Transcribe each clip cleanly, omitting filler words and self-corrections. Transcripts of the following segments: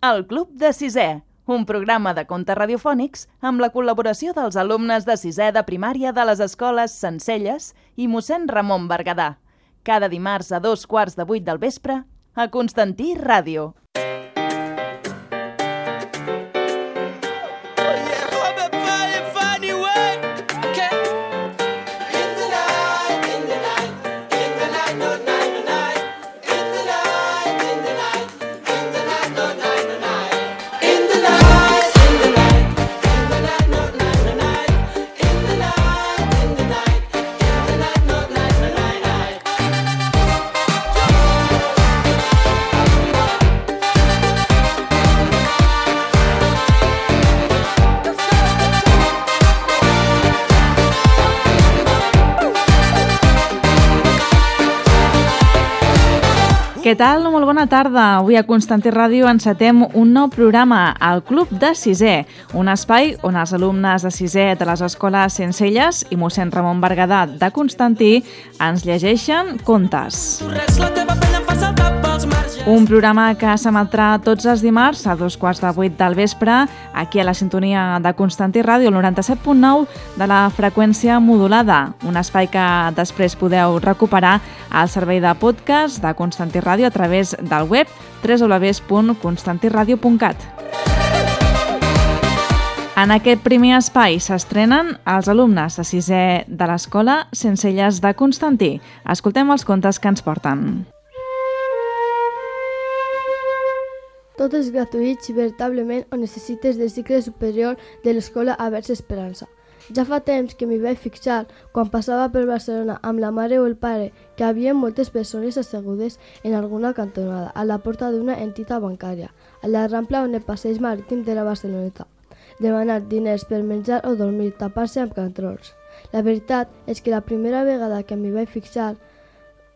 El Club de Sisè, un programa de contes radiofònics amb la col·laboració dels alumnes de sisè de primària de les escoles Sencelles i mossèn Ramon Berguedà. Cada dimarts a 7:15 del vespre a Constantí Ràdio. Què tal? Molt bona tarda. Avui a Constantí Ràdio encetem un nou programa, el Club de Sisè, un espai on els alumnes de sisè de les escoles Sencelles i mossèn Ramon Berguedà de Constantí ens llegeixen contes. Un programa que s'emetrà tots els dimarts a 7:15 del vespre aquí a la sintonia de Constantí Ràdio, el 97.9 de la freqüència modulada, un espai que després podeu recuperar al servei de podcast de Constantí Ràdio a través del web www.constantiradio.cat. En aquest primer espai s'estrenen els alumnes de sisè de l'escola Sencelles de Constantí. Escoltem els contes que ens porten. Tot és gratuït si veritablement ho necessites del cicle superior de l'escola Avers Esperança. Ja fa temps que m'hi vaig fixar quan passava per Barcelona amb la mare o el pare que hi havia moltes persones assegudes en alguna cantonada a la porta d'una entitat bancària, a la Rambla on el passeig marítim de la Barceloneta, demanar diners per menjar o dormir, tapar-se amb cantrols. La veritat és que la primera vegada que m'hi vaig fixar,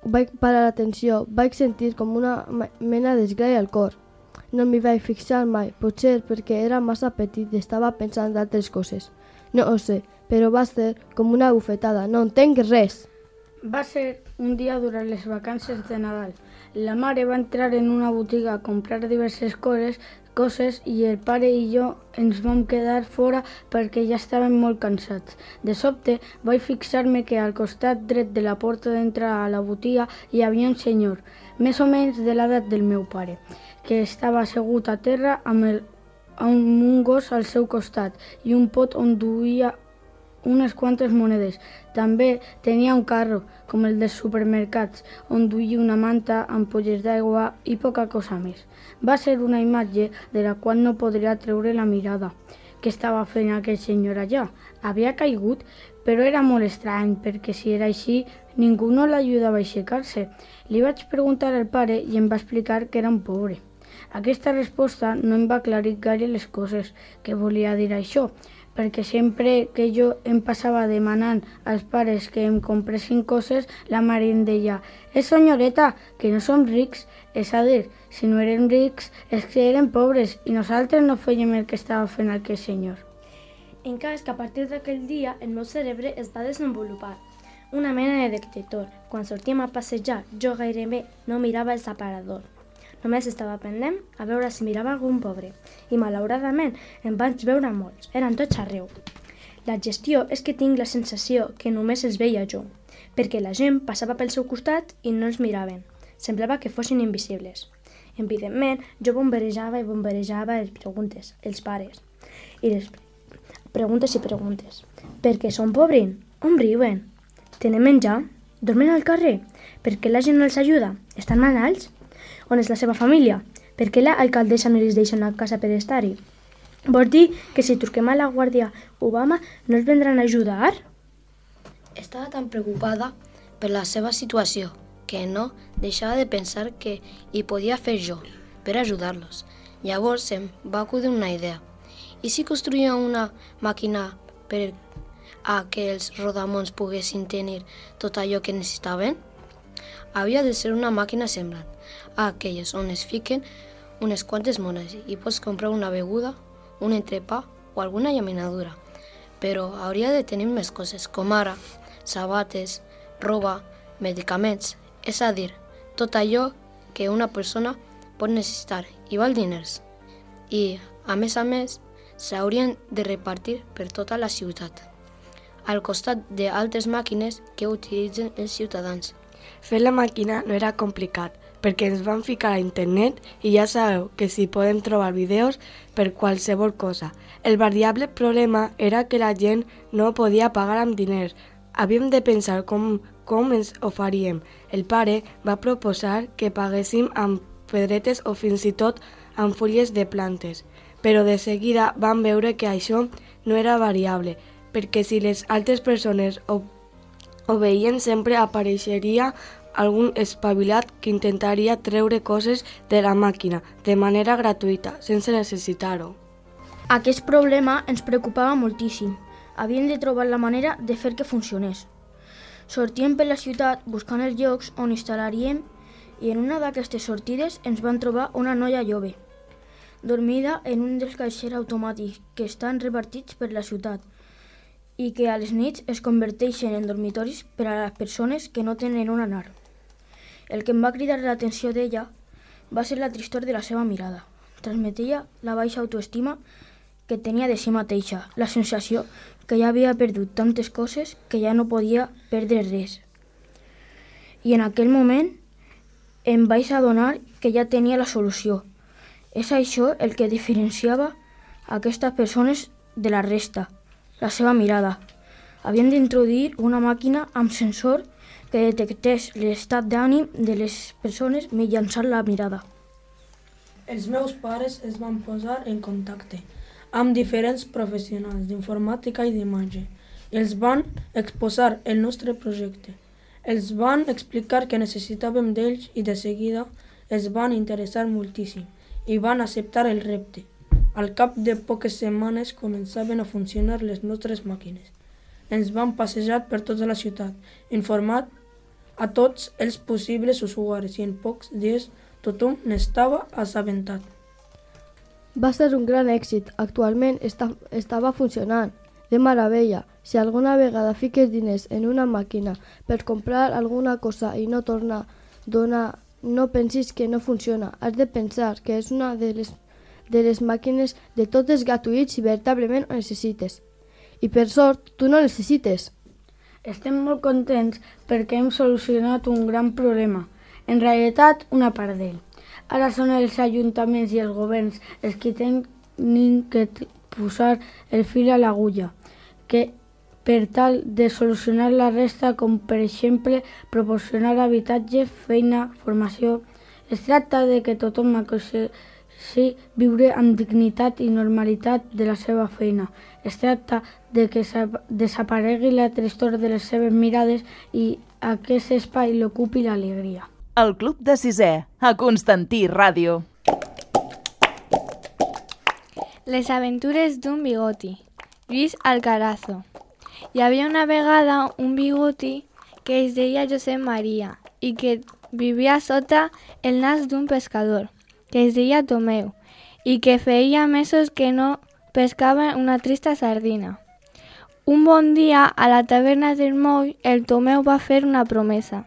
vaig parar l'atenció, vaig sentir com una mena d'esglai al cor. No m'hi vaig fixar mai, potser perquè era massa petit i estava pensant d'altres coses. No ho sé, però va ser com una bufetada, no entenc res. Va ser un dia durant les vacances de Nadal. La mare va entrar en una botiga a comprar diverses coses i el pare i jo ens vam quedar fora perquè ja estàvem molt cansats. De sobte vaig fixar-me que al costat dret de la porta d'entrar a la botiga hi havia un senyor, més o menys de l'edat del meu pare, que estava assegut a terra amb un gos al seu costat i un pot on duia unes quantes monedes. També tenia un carro, com el dels supermercats, on duia una manta, ampolles d'aigua i poca cosa més. Va ser una imatge de la qual no podria treure la mirada. Què estava fent aquell senyor allà? Havia caigut, però era molt estrany, perquè si era així, ningú no l'ajudava a aixecar-se. Li vaig preguntar al pare i em va explicar que era un pobre. Aquesta resposta no em va aclarir gaire les coses. Què volia dir això? Perquè sempre que jo em passava demanant als pares que em compressin coses, la mare em deia senyoreta, que no som rics. És a dir, si no érem rics és que érem pobres i nosaltres no fèiem el que estava fent aquell senyor. En cas que a partir d'aquell dia el meu cerebre es va desenvolupar. Una mena de detector. Quan sortíem a passejar, jo gairebé no mirava el separador. Només estava pendent a veure si mirava algun pobre. I malauradament em vaig veure molts. Eren tots arreu. La gestió és que tinc la sensació que només els veia jo, perquè la gent passava pel seu costat i no els miraven. Semblava que fossin invisibles. Evidentment, jo bombarejava les preguntes, els pares. I les preguntes. Per què són pobres? On viuen? Tenen menjar? Dormen al carrer? Per què la gent no els ajuda? Estan malalts? On és la seva família? Per què l'alcaldessa no els deixa anar a casa per estar-hi? Vols dir que si truquem a la Guàrdia Obama no els vendran a ajudar? Estava tan preocupada per la seva situació que no deixava de pensar que hi podia fer jo per ajudar-los. Llavors em va acudir una idea. I si construïa una màquina per a que els rodamons poguessin tenir tot allò que necessitaven? Havia de ser una màquina semblant a aquelles on es fiquen unes quantes monedes i pots comprar una beguda, un entrepà o alguna llaminadura. Però hauria de tenir més coses, com ara sabates, roba, medicaments, és a dir, tot allò que una persona pot necessitar i val diners. i, a més, s'haurien de repartir per tota la ciutat, al costat d'altres màquines que utilitzen els ciutadans. Fer la màquina no era complicat, perquè ens vam ficar a internet i ja sabeu que s'hi podem trobar vídeos per qualsevol cosa. El variable problema era que la gent no podia pagar amb diners. Havíem de pensar com ens ho faríem. El pare va proposar que paguéssim amb pedretes o fins i tot amb fulles de plantes, però de seguida vam veure que això no era variable, perquè si les altres persones ho veien sempre apareixeria algun espavilat que intentaria treure coses de la màquina de manera gratuïta, sense necessitar-ho. Aquest problema ens preocupava moltíssim. Havíem de trobar la manera de fer que funcionés. Sortíem per la ciutat buscant els llocs on instal·laríem i en una d'aquestes sortides ens van trobar una noia jove, dormida en un dels caixers automàtics que estan repartits per la ciutat i que a les nits es converteixen en dormitoris per a les persones que no tenen on anar. El que em va cridar l'atenció d'ella va ser la tristor de la seva mirada. Transmetia la baixa autoestima que tenia de si mateixa, la sensació que ja havia perdut tantes coses que ja no podia perdre res. I en aquell moment em vaig adonar que ja tenia la solució. És això el que diferenciava aquestes persones de la resta, la seva mirada. Havien d'introduir una màquina amb sensor que detectés l'estat d'ànim de les persones mitjançant la mirada. Els meus pares es van posar en contacte amb diferents professionals d'informàtica i d'imatge i els van exposar el nostre projecte. Els van explicar que necessitàvem d'ells i de seguida es van interessar moltíssim i van acceptar el repte. Al cap de poques setmanes començaven a funcionar les nostres màquines. Ens van passejar per tota la ciutat, informant a tots els possibles usuaris i en pocs dies tothom n'estava assabentat. Va ser un gran èxit. Actualment estava funcionant. De meravella. Si alguna vegada fiques diners en una màquina per comprar alguna cosa i no torna a donar, no pensis que no funciona. Has de pensar que és una de les màquines de totes gratuïts i veritablement ho necessites. I per sort, tu no necessites. Estem molt contents perquè hem solucionat un gran problema. En realitat, una part d'ell. Ara són els ajuntaments i els governs els que tenen que posar el fil a l'agulla, que per tal de solucionar la resta, com per exemple proporcionar habitatge, feina, formació. Es tracta de que tothom aconsegueixi viure amb dignitat i normalitat de la seva feina. Es tracta de que desaparegui la tristor de les seves mirades i aquest espai l'ocupi l'alegria. El Club de Sisè, a Constantí Ràdio. Les aventures d'un bigoti. Lluís Alcarazo. Hi havia una vegada un bigoti que es deia Josep Maria i que vivia sota el nas d'un pescador, que es deia Tomeu, i que feia mesos que no pescava una trista sardina. Un bon dia, a la taverna del moll, el Tomeu va fer una promesa.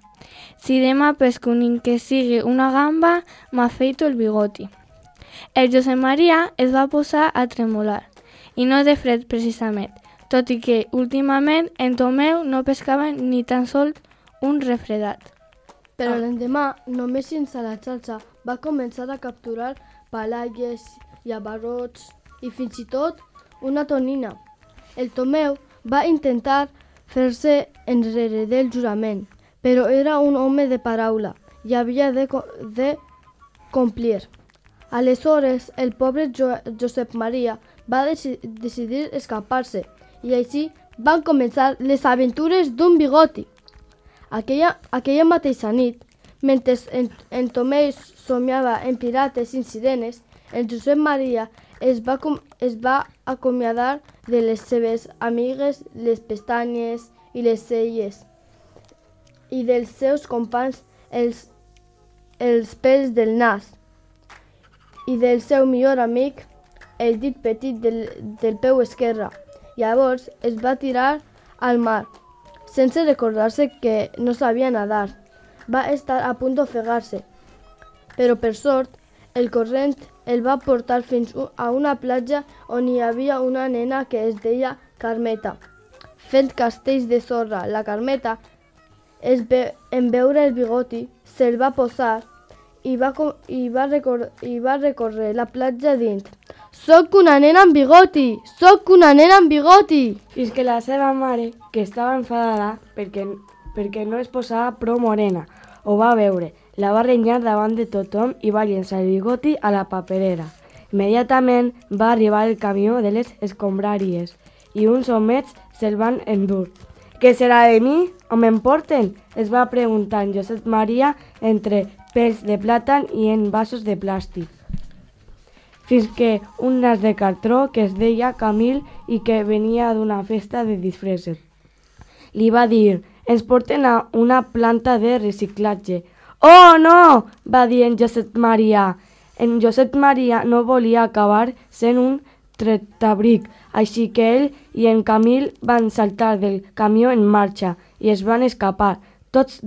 Si demà pesco ni que sigui una gamba, m'afeito el bigoti. El Josep Maria es va posar a tremolar, i no de fred precisament, tot i que últimament en Tomeu no pescava ni tan sols un refredat. Però l'endemà, només sense la xarxa, va començar a capturar palalles, llavarrots i fins i tot una tonina. El Tomeu va intentar fer-se enrere del jurament, però era un home de paraula i havia de complir. Aleshores, el pobre Josep Maria va decidir escapar-se i així van començar les aventures d'un bigoti. Aquella mateixa nit, mentre en Tomeu somiava en pirates i sirenes, el Josep Maria es va acomiadar de les seves amigues, les pestanyes i les celles, i dels seus companys els pèls del nas, i del seu millor amic el dit petit del peu esquerre. Llavors es va tirar al mar, sense recordar-se que no sabia nadar. Va estar a punt d'ofegar-se, però per sort el corrent el va portar fins a una platja on hi havia una nena que es deia Carmeta. Fent castells de sorra, la Carmeta, en veure el bigoti, se'l va posar i va recórrer la platja dient: «Soc una nena amb bigoti! Soc una nena amb bigoti!» Fins que la seva mare, que estava enfadada perquè no es posava prou morena, ho va veure, la va renyar davant de tothom i va llençar el bigoti a la paperera. Immediatament va arribar el camió de les escombraries i uns homets se'l van endur. «Què serà de mi? On m'emporten?», es va preguntar en Josep Maria entre pèls de plàtan i en vasos de plàstic. Fins que un nas de cartró que es deia Camil i que venia d'una festa de disfresses li va dir: «Ens porten a una planta de reciclatge». «Oh, no!», va dir en Josep Maria. En Josep Maria no volia acabar sent un tretabric, així que ell i en Camil van saltar del camió en marxa i es van escapar. Tots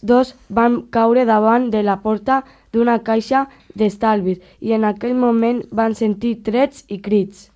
dos van caure davant de la porta d'una caixa d'estalvis i en aquell moment van sentir trets i crits.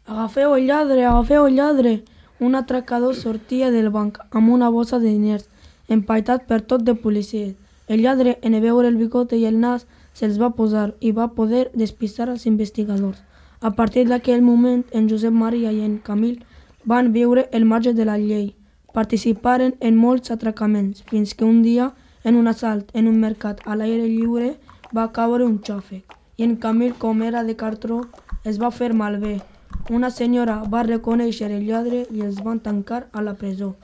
«Agafeu el lladre, agafeu el lladre!» Un atracador sortia del banc amb una bossa de diners, empaitat per tot de policies. El lladre, en veure el bigote i el nas, se'ls va posar i va poder despistar als investigadors. A partir d'aquell moment, en Josep Maria i en Camil van viure el marge de la llei. Participaren en molts atracaments, fins que un dia, en un assalt en un mercat a l'aire lliure, va caure un xàfec, i en Camil, com era de cartró, es va fer malbé. Una senyora va reconèixer el lladre i els van tancar a la presó.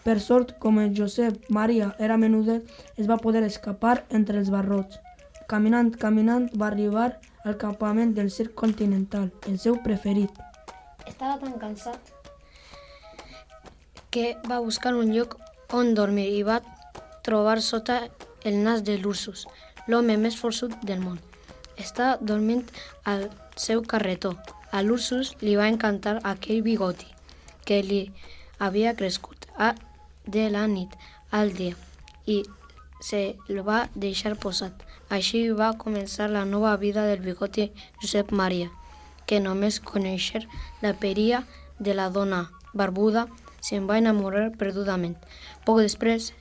Per sort, com en Josep Maria era menudet, es va poder escapar entre els barrots. Caminant, va arribar al campament del Circ Continental, el seu preferit. Estava tan cansat que va buscar un lloc on dormir i va trobar sota el nas de l'Ursus, l'home més forçut del món. Estava dormint al seu carretó. A l'Ursus li va encantar aquell bigoti que li havia crescut de la nit al dia i se'l va deixar posat. Així va començar la nova vida del bigoti Josep Maria, que només conèixer la peria de la dona barbuda se'n va enamorar perdudament. Poc després,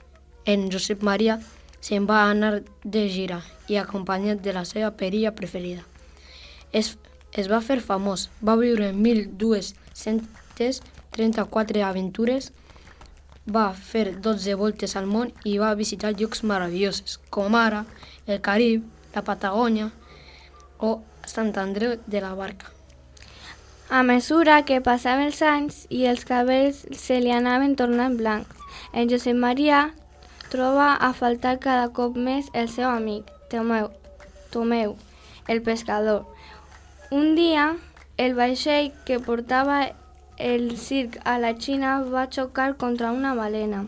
en Josep Maria se'n va anar de gira i acompanyat de la seva peria preferida. Es va fer famós, va viure 1.234 aventures, va fer 12 voltes al món i va visitar llocs meravellosos, com ara el Carib, la Patagònia o Sant Andreu de la Barca. A mesura que passaven els anys i els cabells se li anaven tornant blancs, en Josep Maria troba a faltar cada cop més el seu amic, Tomeu, el pescador. Un dia, el vaixell que portava el circ a la Xina va xocar contra una balena.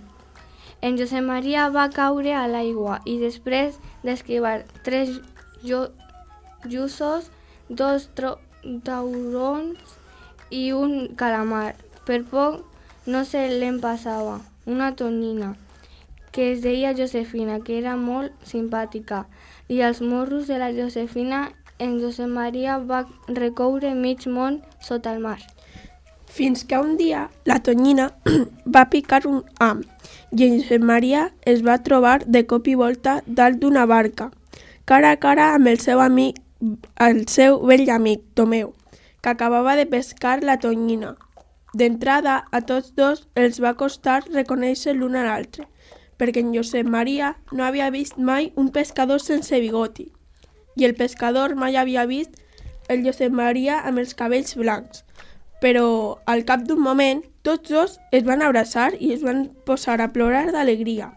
En Josep Maria va caure a l'aigua i després d'esquivar 3 lluços, 2 taurons i un calamar. Per poc no se l'en passava, una tonyina, que es deia Josefina, que era molt simpàtica, i als morros de la Josefina en Josep Maria va recoure mig món sota el mar. Fins que un dia la tonyina va picar un ham i en Josep Maria es va trobar de cop i volta dalt d'una barca, cara a cara amb el seu vell amic, Tomeu, que acabava de pescar la tonyina. D'entrada, a tots dos els va costar reconèixer l'un a l'altre, perquè en Josep Maria no havia vist mai un pescador sense bigoti, i el pescador mai havia vist el Josep Maria amb els cabells blancs. Però al cap d'un moment tots dos es van abraçar i es van posar a plorar d'alegria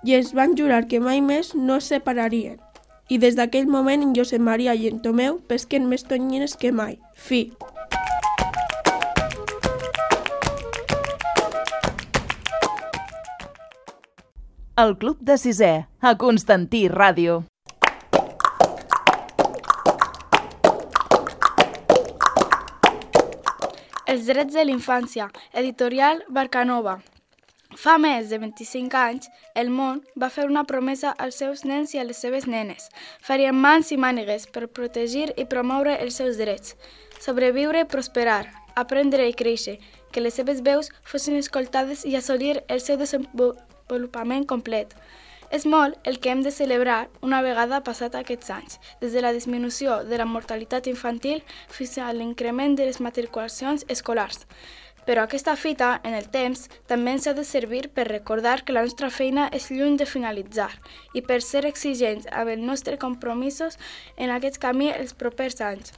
i es van jurar que mai més no es separarien. I des d'aquell moment en Josep Maria i en Tomeu pesquen més tonyines que mai. Fi. El Club de Sisè, a Constantí Ràdio. Els drets de l'infància, editorial Barcanova. Fa més de 25 anys, el món va fer una promesa als seus nens i a les seves nenes. Farien mans i mànigues per protegir i promoure els seus drets. Sobreviure, prosperar, aprendre i créixer, que les seves veus fossin escoltades i assolir el seu desenvolupament complet. És molt el que hem de celebrar una vegada passat aquests anys, des de la disminució de la mortalitat infantil fins a l'increment de les matriculacions escolars. Però aquesta fita, en el temps, també ens ha de servir per recordar que la nostra feina és lluny de finalitzar i per ser exigents amb els nostres compromisos en aquest camí els propers anys.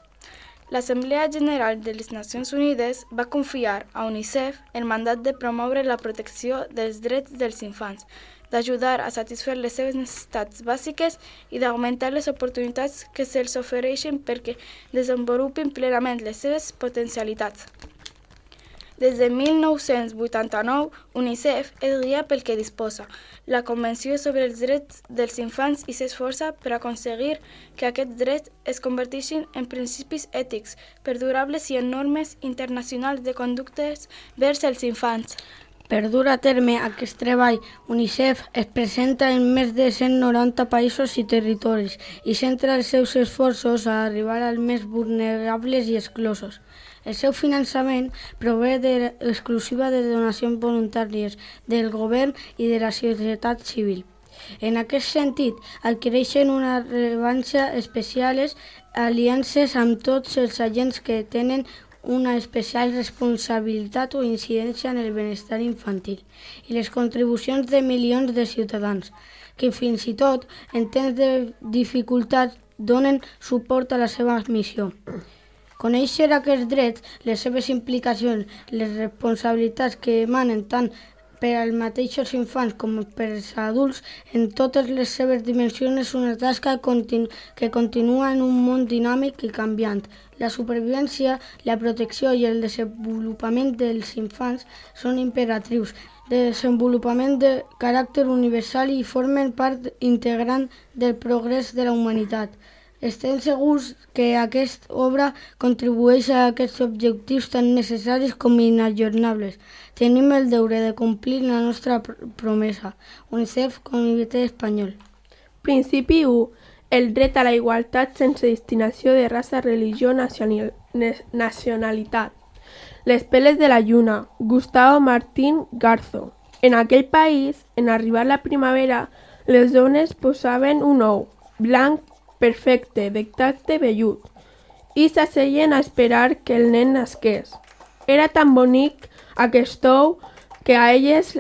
L'Assemblea General de les Nacions Unides va confiar a UNICEF el mandat de promoure la protecció dels drets dels infants, d'ajudar a satisfer les seves necessitats bàsiques i d'augmentar les oportunitats que se'ls ofereixen perquè desenvolupin plenament les seves potencialitats. Des de 1989, UNICEF es guia pel que disposa, la Convenció sobre els drets dels infants i s'esforça per aconseguir que aquests drets es converteixin en principis ètics perdurables i en normes internacionals de conductes vers els infants. Per dur a terme aquest treball, UNICEF es presenta en més de 190 països i territoris i centra els seus esforços a arribar als més vulnerables i exclosos. El seu finançament prové exclusiva de donacions voluntàries del govern i de la societat civil. En aquest sentit, adquireixen una rellevància especials aliances amb tots els agents que tenen una especial responsabilitat o incidència en el benestar infantil i les contribucions de milions de ciutadans, que fins i tot, en temps de dificultat, donen suport a la seva missió. Conèixer aquests drets, les seves implicacions, les responsabilitats que emanen tant per als mateixos infants com per als adults en totes les seves dimensions és una tasca que continua en un món dinàmic i canviant. La supervivència, la protecció i el desenvolupament dels infants són imperatius de desenvolupament de caràcter universal i formen part integrant del progrés de la humanitat. Estem segurs que aquesta obra contribueix a aquests objectius tan necessaris com inajornables. Tenim el deure de complir la nostra promesa. UNICEF, Comitè Espanyol. Principi 1. El dret a la igualtat sense distinció de raça, religió, nacionalitat. Les peles de la lluna. Gustavo Martín Garzo. En aquell país, en arribar la primavera, les dones posaven un ou, blanc, perfecte, de tacte vellut, i s'asseien a esperar que el nen nasqués. Era tan bonic aquest ou que a elles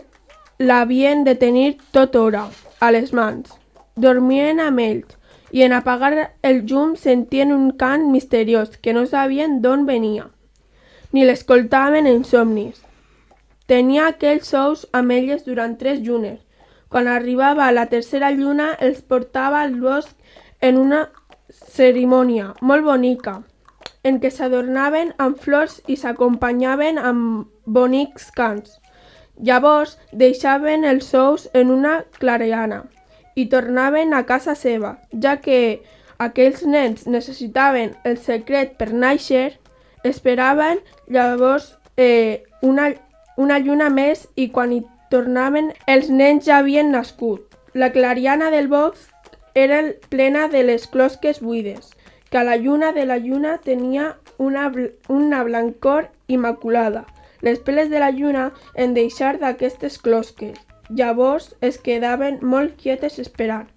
l'havien de tenir tota hora, a les mans. Dormien amb ells, i en apagar el llum sentien un cant misteriós que no sabien d'on venia, ni l'escoltaven en somnis. Tenia aquells ous amb elles durant 3 llunes. Quan arribava la tercera lluna, els portava al bosc en una cerimònia molt bonica, en què s'adornaven amb flors i s'acompanyaven amb bonics cants. Llavors deixaven els ous en una clariana i tornaven a casa seva, ja que aquells nens necessitaven el secret per nàixer. Esperaven llavors una lluna més i quan hi tornaven els nens ja havien nascut. La clariana del bosc era plena de les closques buides, que a la lluna de la lluna tenia una blancor immaculada. Les peles de la lluna en deixar d'aquestes closques. Llavors es quedaven molt quietes esperant.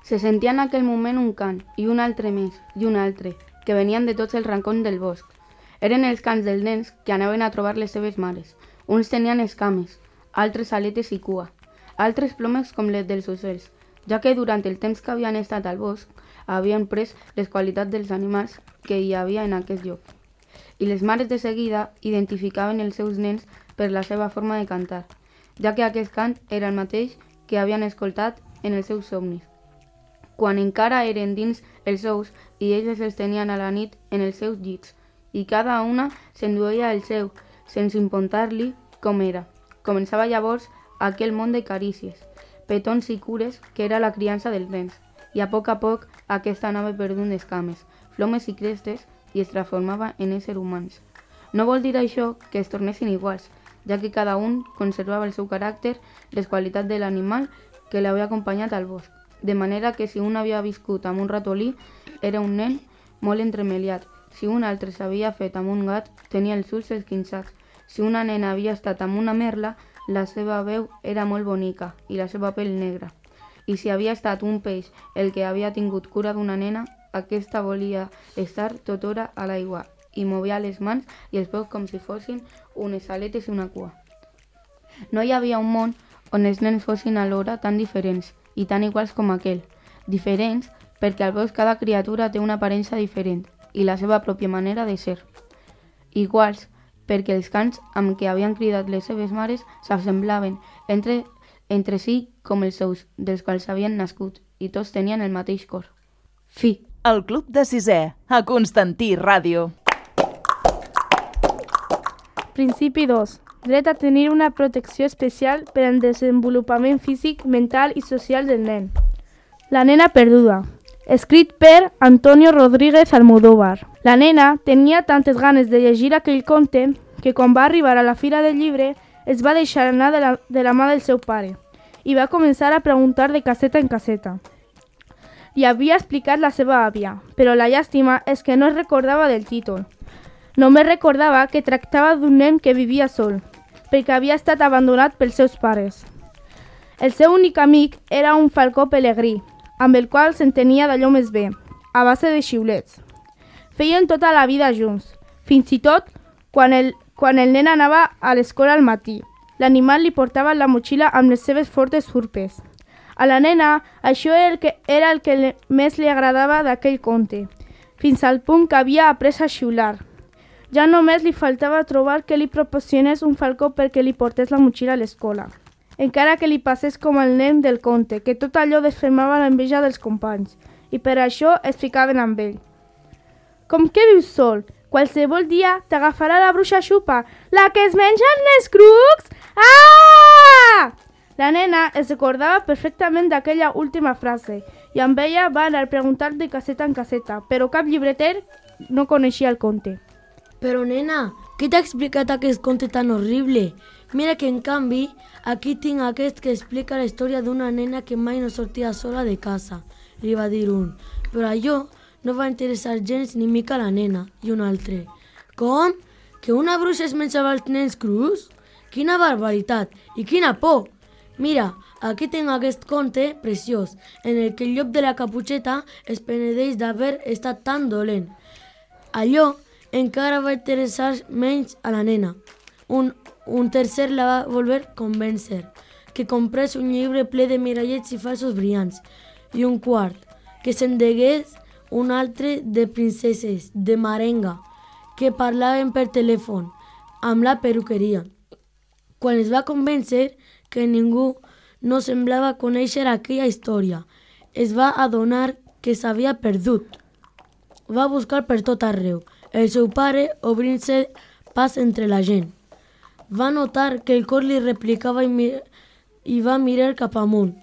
Se sentia en aquell moment un cant, i un altre més, i un altre, que venien de tots els racons del bosc. Eren els cants dels nens que anaven a trobar les seves mares. Uns tenien escames, altres aletes i cua, altres plomes com les dels ocells, ja que durant el temps que havien estat al bosc havien pres les qualitats dels animals que hi havia en aquest lloc. I les mares de seguida identificaven els seus nens per la seva forma de cantar, ja que aquest cant era el mateix que havien escoltat en els seus somnis, quan encara eren dins els ous i elles els tenien a la nit en els seus llits, i cada una s'enduia el seu, sense importar-li com era. Començava llavors aquell món de carícies, petons i cures que era la criança dels nens, i a poc aquesta anava perdent escames, plomes i crestes i es transformava en éssers humans. No vol dir això que es tornessin iguals, ja que cada un conservava el seu caràcter, les qualitats de l'animal que l'havia acompanyat al bosc. De manera que si un havia viscut amb un ratolí, era un nen molt entremeliat. Si un altre s'havia fet amb un gat, tenia els ulls esquinçats. Si una nena havia estat amb una merla, la seva veu era molt bonica i la seva pell negra. I si havia estat un peix el que havia tingut cura d'una nena, aquesta volia estar tota hora a l'aigua i movia les mans i els peus com si fossin unes aletes i una cua. No hi havia un món on els nens fossin alhora tan diferents i tan iguals com aquell. Diferents perquè al bosc cada criatura té una aparença diferent i la seva pròpia manera de ser. Iguals perquè els cants amb què havien cridat les seves mares s'assemblaven entre si com els seus, dels quals havien nascut, i tots tenien el mateix cor. Fi. El Club de Sisè, a Constantí Ràdio. Principi 2. Dret a tenir una protecció especial per al desenvolupament físic, mental i social del nen. La nena perduda. Escrit per Antonio Rodríguez Almodóvar. La nena tenia tantes ganes de llegir aquell conte que quan va arribar a la fira del llibre es va deixar anar de la mà del seu pare i va començar a preguntar de caseta en caseta. Li havia explicat la seva àvia, però la llàstima és que no es recordava del títol. Només recordava que tractava d'un nen que vivia sol, perquè havia estat abandonat pels seus pares. El seu únic amic era un falcó pelegrí, amb el qual s'entenia d'allò més bé, a base de xiulets. Feien tota la vida junts, fins i tot quan el nen anava a l'escola al matí. L'animal li portava la motxilla amb les seves fortes urpes. A la nena, això era el que més li agradava d'aquell conte, fins al punt que havia après a xiular. Ja només li faltava trobar que li proporcionés un falcó perquè li portés la motxilla a l'escola. Encara que li passés com el nen del conte, que tot allò desfermava l'enveja dels companys, i per això es ficaven amb ell. Com que vius sol? Qualsevol dia t'agafarà la bruixa Xupa, la que es menja els nescrucs! Ah! La nena es recordava perfectament d'aquella última frase i amb ella va anar a preguntar de caseta en caseta, però cap llibreter no coneixia el conte. Però nena, qui t'ha explicat aquest conte tan horrible? Mira que en canvi, aquí tinc aquest que explica la història d'una nena que mai no sortia sola de casa, li va dir un. Però allò no va interessar gens ni mica a la nena, i un altre. Com? Que una bruixa es menjava els nens crus? Quina barbaritat i quina por! Mira, aquí tinc aquest conte preciós, en el que el llop de la caputxeta es penedeix d'haver estat tan dolent. Allò encara va interessar menys a la nena. Un tercer la va voler convèncer, que comprés un llibre ple de mirallets i falsos brillants, i un quart, que s'endegués un altre de princeses, de marenga, que parlaven per telèfon, amb la perruqueria. Quan es va convèncer que ningú no semblava conèixer aquella història, es va adonar que s'havia perdut. Va buscar per tot arreu, el seu pare obrint-se pas entre la gent. Va notar que el cor li replicava i va mirar cap amunt.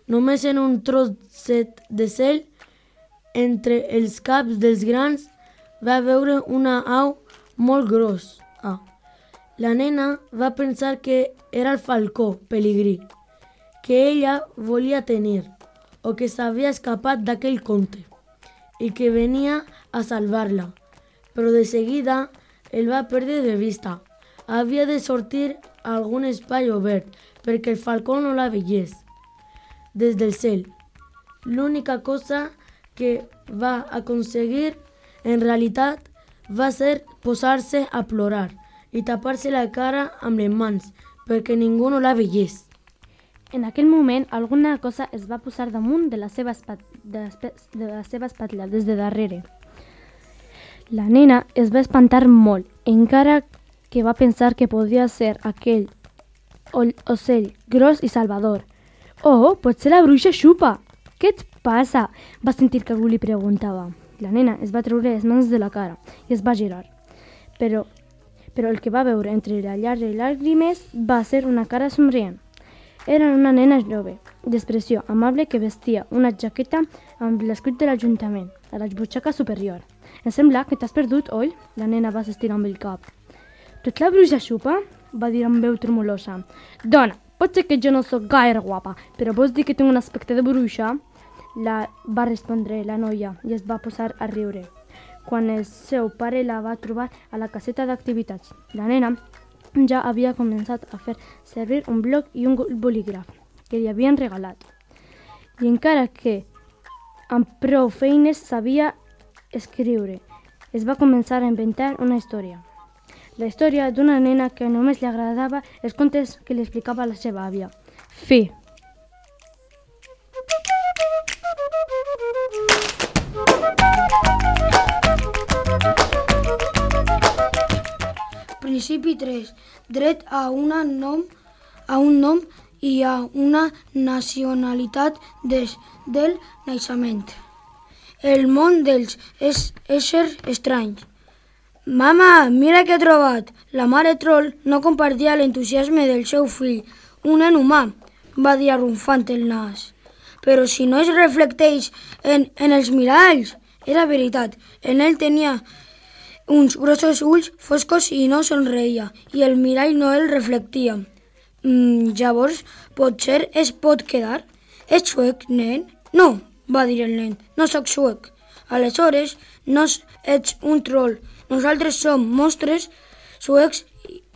Només en un trosset de cel, entre els caps dels grans, va veure una au molt grossa. La nena va pensar que era el falcó pelegrí, que ella volia tenir, o que s'havia escapat d'aquell conte, i que venia a salvar-la. Però de seguida el va perdre de vista. Havia de sortir a algun espai obert, perquè el falcó no la veiés des del cel. L'única cosa que va aconseguir, en realitat, va ser posar-se a plorar i tapar-se la cara amb les mans, perquè ningú no la veiés. En aquell moment, alguna cosa es va posar damunt de la seva espatlla, des de darrere. La nena es va espantar molt, encara que va pensar que podia ser aquell ocell gros i salvador. «Oh, pot ser la bruixa Xupa! Què et passa?» Va sentir que algú li preguntava. La nena es va treure les mans de la cara i es va girar. Però el que va veure entre la llar i llàgrimes va ser una cara somrient. Era una nena jove, d'expressió amable, que vestia una jaqueta amb l'escut de l'Ajuntament, a la butxaca superior. «Em sembla que t'has perdut, oi?» La nena va assistir amb el cap. «Tu ets la bruixa Xupa?» va dir amb veu tremolosa. Dona, pot ser que jo no sóc gaire guapa, però vols dir que tinc un aspecte de bruixa? Va respondre la noia i es va posar a riure. Quan el seu pare la va trobar a la caseta d'activitats, la nena ja havia començat a fer servir un bloc i un bolígraf que li havien regalat. I encara que amb prou feines sabia escriure, es va començar a inventar una història. La història d'una nena que només li agradava els contes que li explicava la seva àvia. Fi. Principi 3. Dret a un nom i a una nacionalitat des del naixement. El món dels éssers estranys. Mama, mira què he trobat! La mare troll no compartia l'entusiasme del seu fill, un nen humà, va dir arrufant el nas. Però si no es reflecteix en els miralls, era veritat. En ell tenia uns grossos ulls foscos i no somreia, i el mirall no el reflectia. Llavors, potser es pot quedar? Ets suec, nen? No, va dir el nen, no sóc suec. Aleshores, no ets un troll. Nosaltres som monstres suecs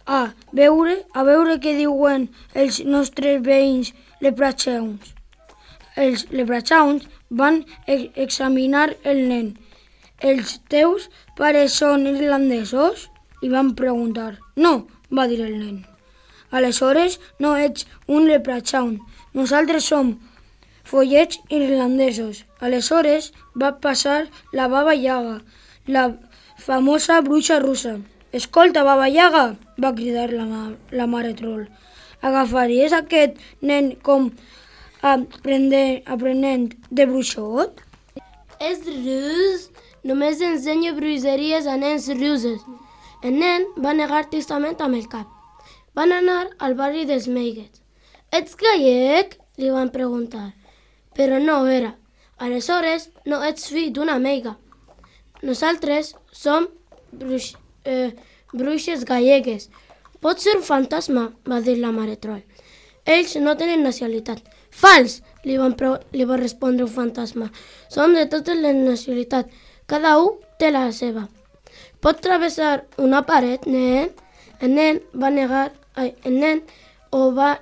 a veure què diuen els nostres veïns leprechauns. Els leprechauns van examinar el nen. Els teus pares són irlandesos? Li van preguntar. No, va dir el nen. Aleshores no ets un leprechaun. Nosaltres som follets irlandesos. Aleshores va passar la Baba Yaga, la famosa bruixa russa. Escolta, Baba Yaga, va cridar la mare troll. Agafaries aquest nen com aprenent de bruixot? És rus, només ensenyo bruixeries a nens russos. El nen va negar tristament amb el cap. Van anar al barri dels Meiguets. Ets gallec? Li van preguntar. Però no ho era. Aleshores no ets fill d'una meiga. Nosaltres som bruixes gallegues. Pot ser un fantasma, va dir la mare troll. Ells no tenen nacionalitat. Fals, li va respondre un fantasma. Som de totes les nacionalitats. Cada un té la seva. Pot travessar una paret, nen? El nen ho va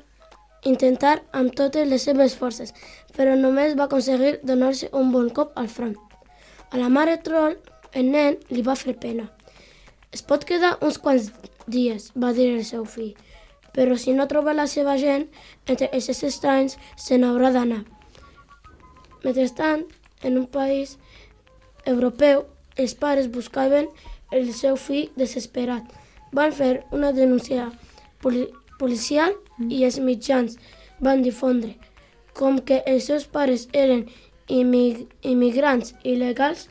intentar amb totes les seves forces, però només va aconseguir donar-se un bon cop al front. A la mare troll, el nen li va fer pena. Es pot quedar uns quants dies, va dir el seu fill, però si no troba la seva gent, entre els estranys se n'haurà d'anar. Mentrestant, en un país europeu, els pares buscaven el seu fill desesperat. Van fer una denúncia policial i els mitjans van difondre. Com que els seus pares eren immigrants il·legals,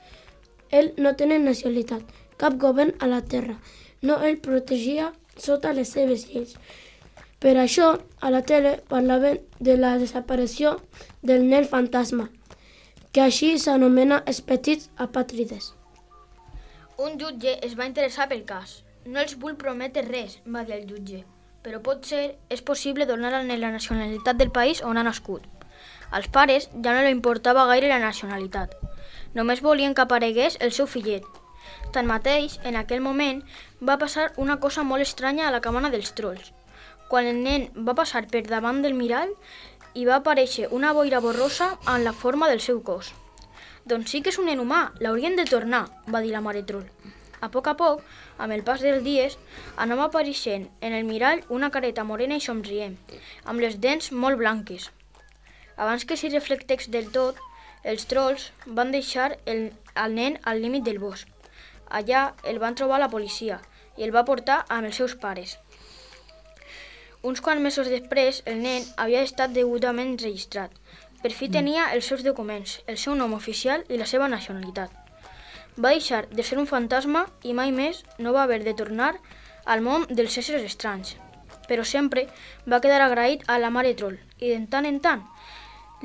ell no tenia nacionalitat. Cap govern a la terra no el protegia sota les seves lleis. Per això, a la tele parlaven de la desaparició del nen fantasma, que així s'anomena els petits apàtrides. Un jutge es va interessar pel cas. No els vull prometre res, va dir el jutge, però és possible donar al nen la nacionalitat del país on ha nascut. Als pares ja no li importava gaire la nacionalitat. Només volien que aparegués el seu fillet. Tanmateix, en aquell moment, va passar una cosa molt estranya a la cabana dels trolls. Quan el nen va passar per davant del mirall, hi va aparèixer una boira borrosa en la forma del seu cos. Doncs sí que és un nen humà, l'haurien de tornar, va dir la mare troll. A poc, amb el pas dels dies, anava apareixent en el mirall una careta morena i somrient, amb les dents molt blanques. Abans que s'hi reflectés del tot, els trolls van deixar el nen al límit del bosc. Allà el van trobar la policia i el va portar amb els seus pares. Uns quants mesos després, el nen havia estat degudament registrat. Per fi tenia els seus documents, el seu nom oficial i la seva nacionalitat. Va deixar de ser un fantasma i mai més no va haver de tornar al món dels éssers estranys. Però sempre va quedar agraït a la mare troll i de tant en tant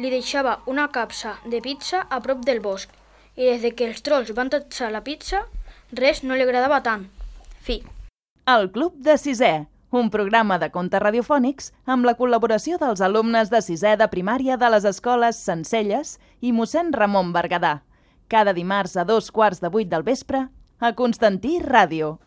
li deixava una capsa de pizza a prop del bosc i des que els trolls van tatxar la pizza, res no li agradava tant. Fi. El Club de Sisè. un programa de contes radiofònics amb la col·laboració dels alumnes de 6è de primària de les escoles Sencelles i mossèn Ramon Berguedà. Cada dimarts a 7:15 del vespre a Constantí Ràdio.